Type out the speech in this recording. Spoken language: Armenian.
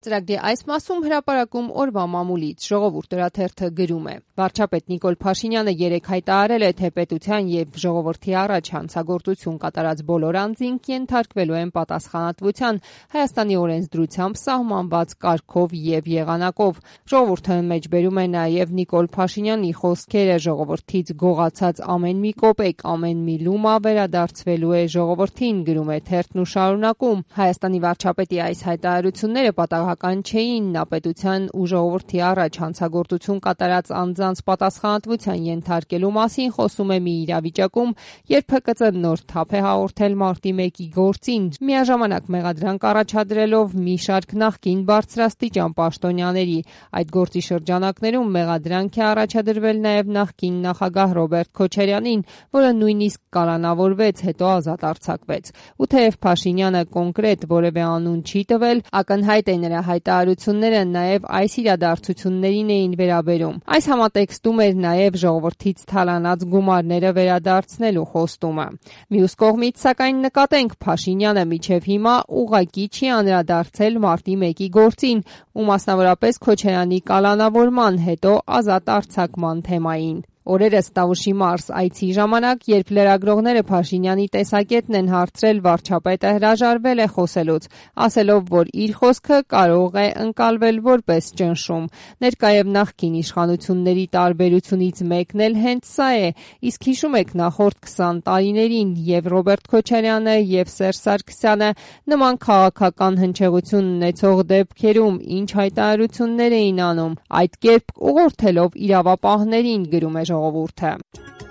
Ծրագրի այս մասում հրապարակում օրվա մամուլից ժողովուրդ օրաթերթը գրում է. վարչապետ Նիկոլ Փաշինյանը երեկ հայտարարել է, թե պետության եւ ժողովրդի առաջ հանցագործություն կատարած բոլոր անձինք ենթարկվելու են պատասխանատվության Հայաստանի օրենսդրությամբ սահմանված կարգով եւ եղանակով։ Ժողովուրդը մեջբերում է նաեւ Նիկոլ Փաշինյանի խոսքերը. ժողովրդից գողացած ամեն մի կոպեկ, ամեն մի լումա վերադարձվելու է ժողովրդին, գրում է թերթն ու շարունակում. Հայաստանի վարչապետի այս հայտարարությունները պատահական չէին, նա պետության ու ժողովրդի առաջ հանցագործություն կատարած անձանց պատասխանատվության ենթարկելու մասին խոսում է մի իրավիճակում, երբ ՀԿԾ նոր թափ է հաղորդել մարտի 1-ի գործին, միաժամանակ մեղադրանք առաջադրելով մի շարք նախկին բարձրաստիճան պաշտոնյաների։ Այդ գործի շրջանակներում մեղադրանք է առաջադրվել նաև նախկին նախագահ Ռոբերտ Քոչարյանին, որը նույնիսկ կալանավորվեց, հետո ազատ արձակվեց։ Ու թեև Փաշինյանը կոնկրետ որևէ անուն չի տվել, ակնհայտ է նրա հայտարարությունները նաև այս իրադարձություններին էին վերաբերում։ Այս համատեքստում էր նաև ժողովրդից թալանած գումարները վերադարձնելու խոստումը։ Մյուս կողմից, սակայն, նկատենք, Փաշինյանը մինչև հիմա ուղղակի չի անդրադարձել մարտի 1-ի գործին ու մասնավորապես Քոչարյանի կալանավորման, հետո ազատ արձակման թեմային։ Օրերս Տավուշի Մարս այցի ժամանակ, երբ լրագրողները Փաշինյանի տեսակետն են հարցրել, վարչապետը հրաժարվել է խոսելուց, ասելով, որ իր խոսքը կարող է ընկալվել որպես ճնշում։ Ներկայև նախկին իշխանությունների տարբերությունից մեկն էլ հենց սա է, իսկ հիշում եք նախորդ 20 տարիներին եւ Ռոբերտ Քոչարյանը եւ Սերժ Սարգսյանը նման քաղաքական հնչեղություն ունեցող դեպքերում ինչ հայտարարություններ էին անում, այդ կերպ ուղղորդելով իրավապահներին, գրում է ժողովուրդը։